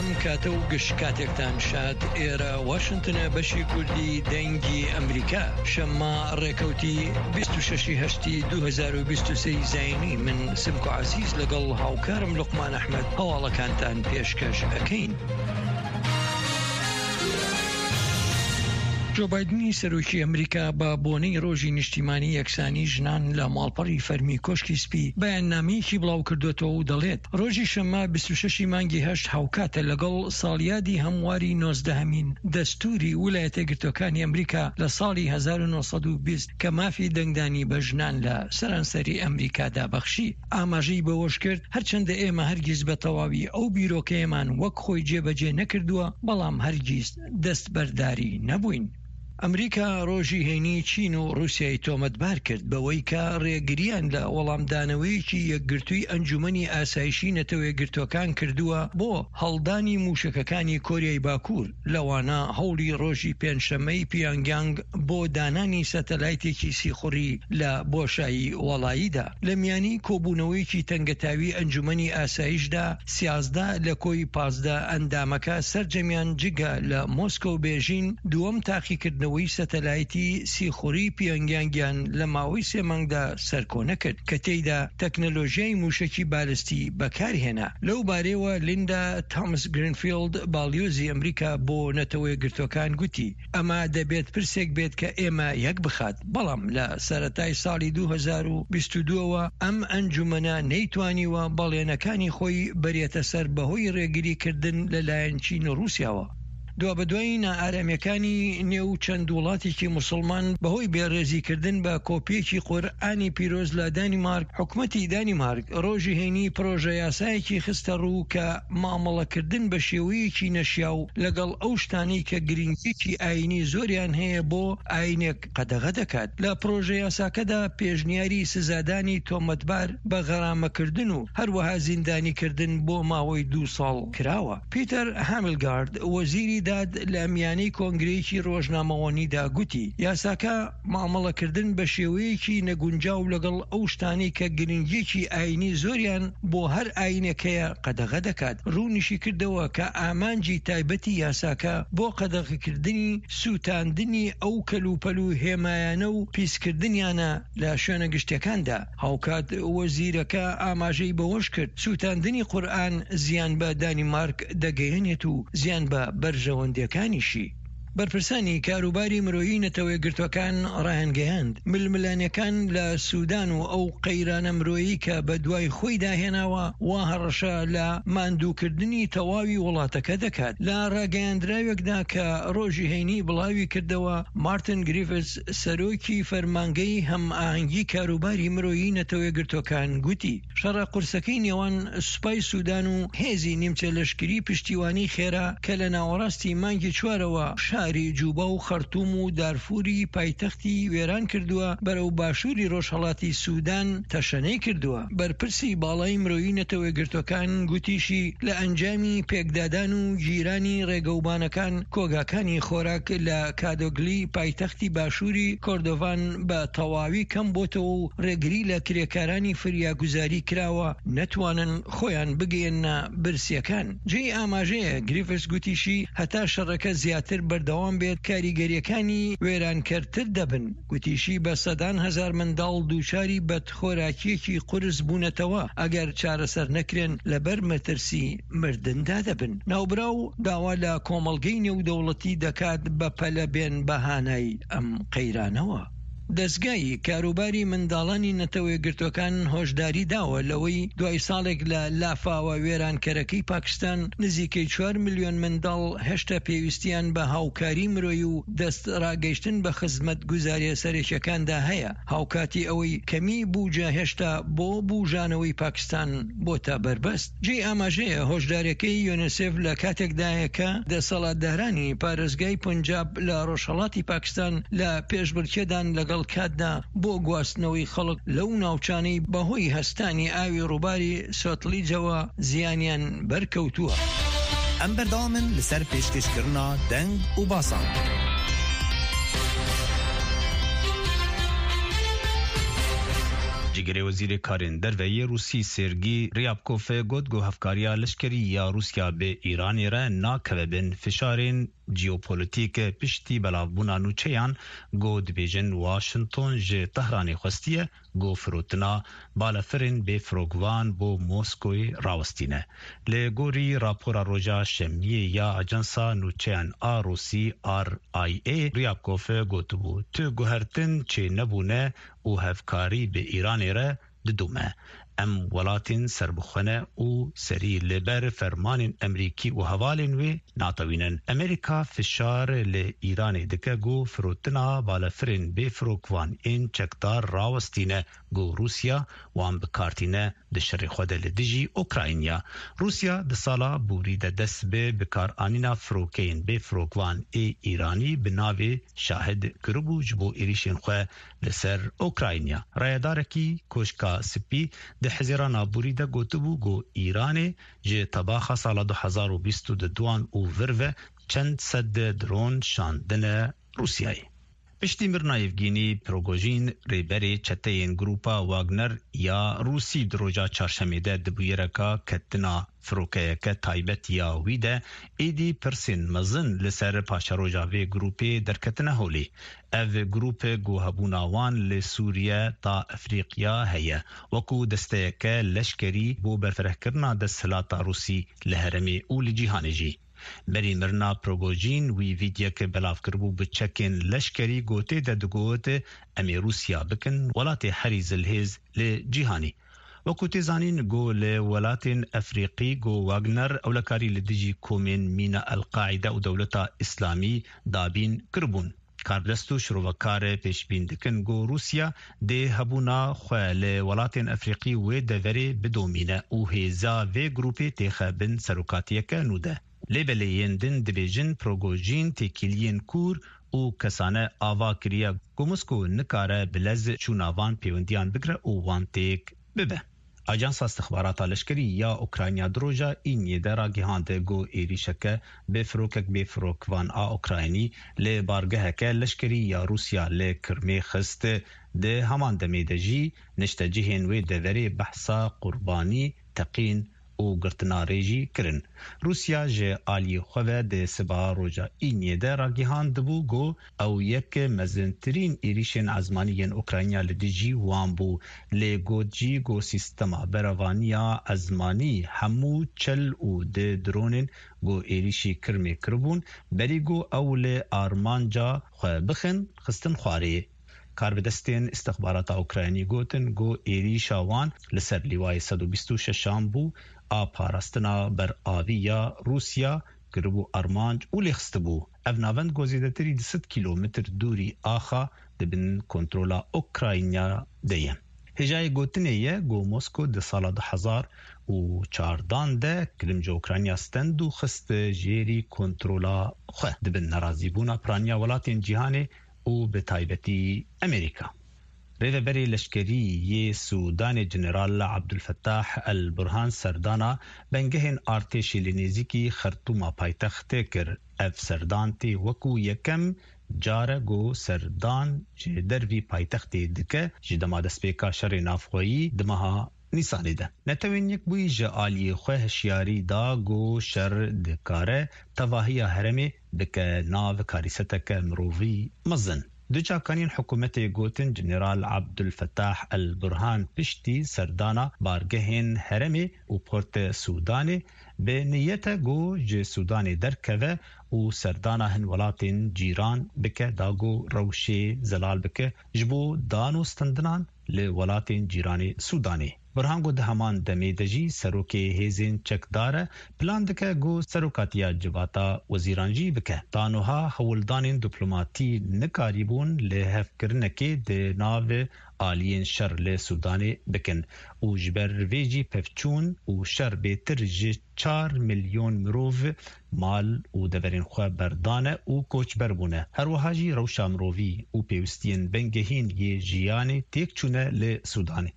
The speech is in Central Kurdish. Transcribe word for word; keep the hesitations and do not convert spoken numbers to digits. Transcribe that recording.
ئەم کاتە و گشت کاتێکتان شاد. ئێرە واشنتنە، بەشی کوردی دەنگی ئەمریکا، شەممە ڕێکەوتی بیست و شەش ی هەشتی دوو هەزار و بیست و سێ زایینی. من سمکۆ عەزیز لەگەڵ هاوکارم لوقمان ئەحمەد هەواڵەکانتان پێشکەش ئەکەین. جۆ بایدنی سەرۆکی ئەمریکا بە بۆنەی ڕۆژی نیشتیمانی یەکسانی ژنان لە ماڵپەڕی فەرمی کۆشکی سپی بەیاننامەیەکی بڵاوکردوێتەوە و دەڵێت ڕۆژی شەممە بیست و شەش ی مانگی هەشت هاوکاتە لەگەڵ ساڵیادی هەمواری نۆزدەهەمین دەستوری ویلایەتە یەکگرتووەکانی ئەمریکا لە ساڵی هەزار و نۆ سەد و بیست کە مافی دەنگدانی بە ژنان لە سەرانسەری ئەمریکادا بەخشی. ئاماژەی بەوەشکرد، هەرچەندە ئێمە هەرگیز بە تەواوی ئەو بیرۆکەیەمان وەک خۆی جێبەجێ نەکردووە، بەڵام هەرگیز دەستبەرداری نەبووین. ئەمریکا ڕۆژی هەینی چین و ڕووسیای تۆمەتبار کرد بەوەی کە ڕێگرییان لە وەڵامدانەوەیەکی یەکگرتووی ئەنجومەنی ئاسایشی نەتەوە یەکگرتووەکان کردووە بۆ هەڵدانی مووشەکەکانی کۆریای باکوور، لەوانە هەوڵی ڕۆژی پێنجشەممەی پیانگیانگ بۆ دانانی سەتەلایتێکی سیخوڕی لە بۆشایی واڵاییدا. لە میانی کۆبوونەوەیەکی تەنگەتاوی ئەنجومەنی ئاسایشدا، سیازدە لە کۆی پازدە ئەندامەکە سەرجەمیان جگە لە مۆسکۆ و بێژین، دووەم تاقیکردنەوەی سەتەلایتی سیخوڕی پیۆنگیانگیان لە ماوەی سێ مانگدا سەرکۆنە کرد کە تێیدا تەکنەلۆژیای مووشەکی بالستی بەکارهێنا. لەو بارەیەوە لیندا تامس گرینفیڵد باڵیۆزی ئەمریکا بۆ نەتەوە یەکگرتووەکان گوتی، ئەمە دەبێت پرسێک بێت کە ئێمە یەک بخات، بەڵام لە سەرەتای ساڵی دوو هەزار و بیست و دوو ەوە ئەم ئەنجومەنە نەیتوانیوە بەڵێنەکانی خۆی بەرێتە سەر بەهۆی ڕێگریکردن لەلایەن چین و ڕووسیاوە. دوابەدوای نائارامیەکانی نێو چەند وڵاتێکی موسڵمان بەهۆی بێڕێزیکردن بە کۆپیەکی قورئانی پیرۆز لە دانیمارک، حکومەتی دانیمارک ڕۆژی هەینی پرۆژە یاسایەکی خستە ڕوو کە مامەڵەکردن بە شێوەیەکی نەشیاو لەگەڵ ئەو شتانەی کە گرنگیەکی ئاینی زۆریان هەیە بۆ ئاینێک قەدەغە دەکات. لە پرۆژە یاساکەدا پێشنیاری سزادانی تۆمەتبار بە غەرامەکردن و هەروەها زیندانیکردن بۆ ماوەی دوو ساڵ کراوە. پیتەر هامیلگارد وەزیری داد لە میانەی کۆنگرەیەکی ڕۆژنامەوانیدا گوتی، یاساکە مامەڵەکردن بە شێوەیەکی نەگونجاو لەگەڵ ئەو شتانەی کە گرنگیەکی ئاینی زۆریان بۆ هەر ئاینێک هەیە قەدەغە دەکات. ڕوونیشی کردەوە کە ئامانجی تایبەتی یاساکە بۆ قەدەغەکردنی سووتاندنی ئەو کەلوپەل و هێمایانە و پیسکردنیانە لە شوێنە گشتیەکاندا. هاوکات وەزیرەکە ئاماژەی بەوەشکرد، سووتاندنی قورئان زیان بە دانیمارک دەگەیەنێت و زیان بە بەرژەوەندیەکانیشی. بەرپرسانی کاروباری مرۆیی نەتەوە یەکگرتووەکان ڕایانگەیاند، ململانێکان لە سودان و ئەو قەیرانە مرۆیی کە بەدوای خۆیدا هێناوە وا هەڕەشە لە ماندووکردنی تەواوی وڵاتەکە دەکات. لە ڕاگەیاندراوێکدا کە ڕۆژی هەینی بڵاویکردەوە، مارتن گریفس سەرۆکی فەرمانگەی هەمئاهەنگی کاروباری مرۆیی نەتەوە یەکگرتووەکان گوتی، شەڕە قورسەکەی نێوان سوپای سودان و هێزی نیمچە لەشکری پشتیوانی خێرا کە لە ناوەڕاستی مانگی چوارەوە شاری جوبا و خەرتوم و دارفوری پایتەختی وێران کردووە، بەرەو باشوری ڕۆژهەڵاتی سودان تەشەنەی کردووە. بەرپرسی باڵای مرۆیی نەتەوە یەکگرتووەکان گوتیشی، لە ئەنجامی پێکدادان و گیرانی ڕێگەوبانەکان کۆگاکانی خۆراک لە کادۆگلی پایتەختی باشوری کۆردۆڤان بە تەواوی کەم بۆتەوە و ڕێگری لە کرێکارانی فریاگوزاری کراوە نەتوانن خۆیان بگەیەننە برسیەکان. جێی ئاماژەیە گریفس گوتیشی هەتا شەڕەکە زیاتر بەردەوام بێت کاریگەریەکانی وێرانکەرتر دەبن. گوتیشی بە سەدان هەزار منداڵ دووچاری بەدخۆراکیەکی قورس بوونەتەوە ئەگەر چارەسەر نەکرێن لەبەر مەترسی مردندا دەبن. ناوبراو داوا لە کۆمەڵگەی نێودەوڵەتی دەکات بەپەلە بێن بە هانای ئەم قەیرانەوە. دەزگای کاروباری منداڵانی نەتەوە یەکگرتووەکان هۆشداری داوە لەوەی دوای ساڵێک لە لافاوە وێرانکەرەکەی پاکستان نزیکەی چوار ملیۆن منداڵ هێشتا پێویستیان بە هاوکاری مرۆیی و دەست ڕاگەیشتن بە خزمەتگوزاریە سەرەکیەکاندا هەیە، هاوکاتی ئەوەی کەمی بوجە هێشتا بۆ بوژانەوەی پاکستان بۆتە بەربەست. جێی ئاماژەیە هۆشداریەکەی یۆنیسێف لە کاتێکدایە کە دەسەڵاتدارانی پارێزگای پونجاب لە ڕۆژهەڵاتی پاکستان لە پێشبڕکێدان لەگەڵ کاتدا بۆ گواستنەوەی خەڵک لەو ناوچانەی بەهۆی هەستانی ئاوی ڕووباری سۆتلیجەوە زیانیان بەرکەوتووە. ئەم بەردەوامن لەسەر پێشکەشکردنا دەنگ و باسان. جیگرê Wezîrê Karên Derve yê Rûsî Sergî Ryabkov got ku hevkariya leşkerî ya Rûsya bi Îranê re nakeve bin fişarên jeopolîtîk piştî belavbûna nûçeyan ku dibêjin Washington ji Tehranê xwestiye ku firotina balafirên bêfirokvan bo Moskoyê rawestîne. Li gorî rapora roja Şemiyê ya Ajansa Nûçeyan a Rûsî R I A, Ryabkov gotibû tu guhertin çênebûne û hevkarî bi Îranê re didome. Em welatên serbixwe ne û serî li ber fermanên Amerîkî û hevalên wê natewînin. Amerîka fişar li Îranê dike ku firotina balafirên bêfirokvan ên çekdar rawestîne ku Rûsya wan bikartîne di şerê xwe de li dijî Ukrayna. Rûsya di sala borî de dest bi bikaranîna firokeyên bêfirokvan ê Îranî bi navê Şahid kiribû ji bo êrişên xwe li ser Ukrayna. Rayedarekî Koşka Spî di Hezîrana borî de gotibû ku Îranê ji tebaxa sala du hezar û bîst û du û vir ve çend sed dron şandine Rûsyayê. Piştî mirina Yevgenî Prigojîn, rêberê çeteyên Grûpa Wagner ya Rûsî di roja Çarşemê de di bûyereka ketina firokeyeke taybet ya wî de, êdî pirsên mezin li ser paşeroja vê grûpê derketine holê. Ev grûp ku hebûna wan li Sûriye ta Efrîqiya heye, wekû desteyeke leşkerî bo berfirehkirina desthilata Rûsî li herêmê û li cîhanê jî. Berî mirina Prigojîn wî vîdyoyek belav kiribû bi çekên leşkerî ku tê de digot em ê Rûsya bikin welatê herî zilhêz li cîhanê. Wekû tê zanîn ku li welatên Efrîqî ku Wagner ewlekarî li dijî komên mîna El Qaîde û Dewleta Îslamî dabîn kiribûn. Karbidest û şirovekar pêşbîn dikin ku Rûsya dê hebûna xwe li welatên Efrîqî wê deverê bidomîne û hêza vê grûpê têxe bin serokatiyeke nû de. Lê belê yên din dibêjin Prigojîn têkiliyên kûr û kesane ava kiriye ku Moskow nikare bi lez çûna van pêwendiyan bigire û wan têk bibe. Ajansa Istixbarata Leşkerî ya Ukrayna di roja Îniyê de ragihand ku êrişeke bi firokek bêfirokvan a Ukraynî li bargeheke leşkerî ya Rûsya li Kirmê xist. Di heman demê de jî niştecihên wê deverê behsa qurbanî, teqîn û girtina rê jî kirin. Rûsya ji aliyê xwe ve di sibeha roja Îniyê de ragihandibû ku ew yek mezintirîn êrişên ezmanî yên Ukrayna li dijî wan bû. Lê got jî ku sîstema berevaniya ezmanî hemû çil û du dronên ku êrişî Kirmê kiribûn berî ku ew li armanca xwe bixin xistin xwarê. Karbidestên istixbarata Ukraynî gotin ku êrişa wan li ser lîwayê sed û bîst û şeşan bû a parastina beravî ya Rûsya kiribû armanc û lêxistibû. Ev navend ku zêdetirî du sed kîlometr dûrî axa di bin kontrola Ukrayna de ye. Hêjayê gotinê ye ku Moskow di sala du hezar û çardan de Kirim ji Ukrayna stend û xist jêrî kontrola xwe di bin nerazîbûna piraniya welatên cîhanê û bi taybetî Amerîka. Rêveberê leşkerî yê Sûdanê General Abdulfettah El Burhan serdana bingehên artêşê li nêzîkî Xertûma paytextê kir. Ev serdan tê wekû yekem car e ku serdan ji dervî paytextê dike ji dema destpêka şerê navxweyî di meha Nîsanê de. Netewên Yekbûyî ji aliyê xwe hişyarî da ku şer dikare tevahiya herêmê bike nav karîseteke mirovî mezin. Du çavkaniyên hikûmetê gotin General Abdulfettah El Burhan piştî serdana bargehên herêmê û Port Sûdanê bi niyete ku ji Sûdanê derkeve û serdana hin welatên cîran bike da ku rewşê zelal bike ji bo dan û standinan li welatên cîranê Sûdanê. Burhan ku di heman demê de jî serokê hêzên çekdar e, plan dike ku serokatiya civata wezîran jî bike. Ta niha hewldanên diplomatî nikarîbûn li hevkirinekê di nav aliyên şer li Sûdanê bikin û ji ber vê jî pevçûn û şer bêtir ji çar milyon mirov mal û deverên xwe berdane û koçber bûne. Her wiha jî rewşa mirovî û pêwîstiyên bingehîn yê jiyanê têk çûne li Sûdanê.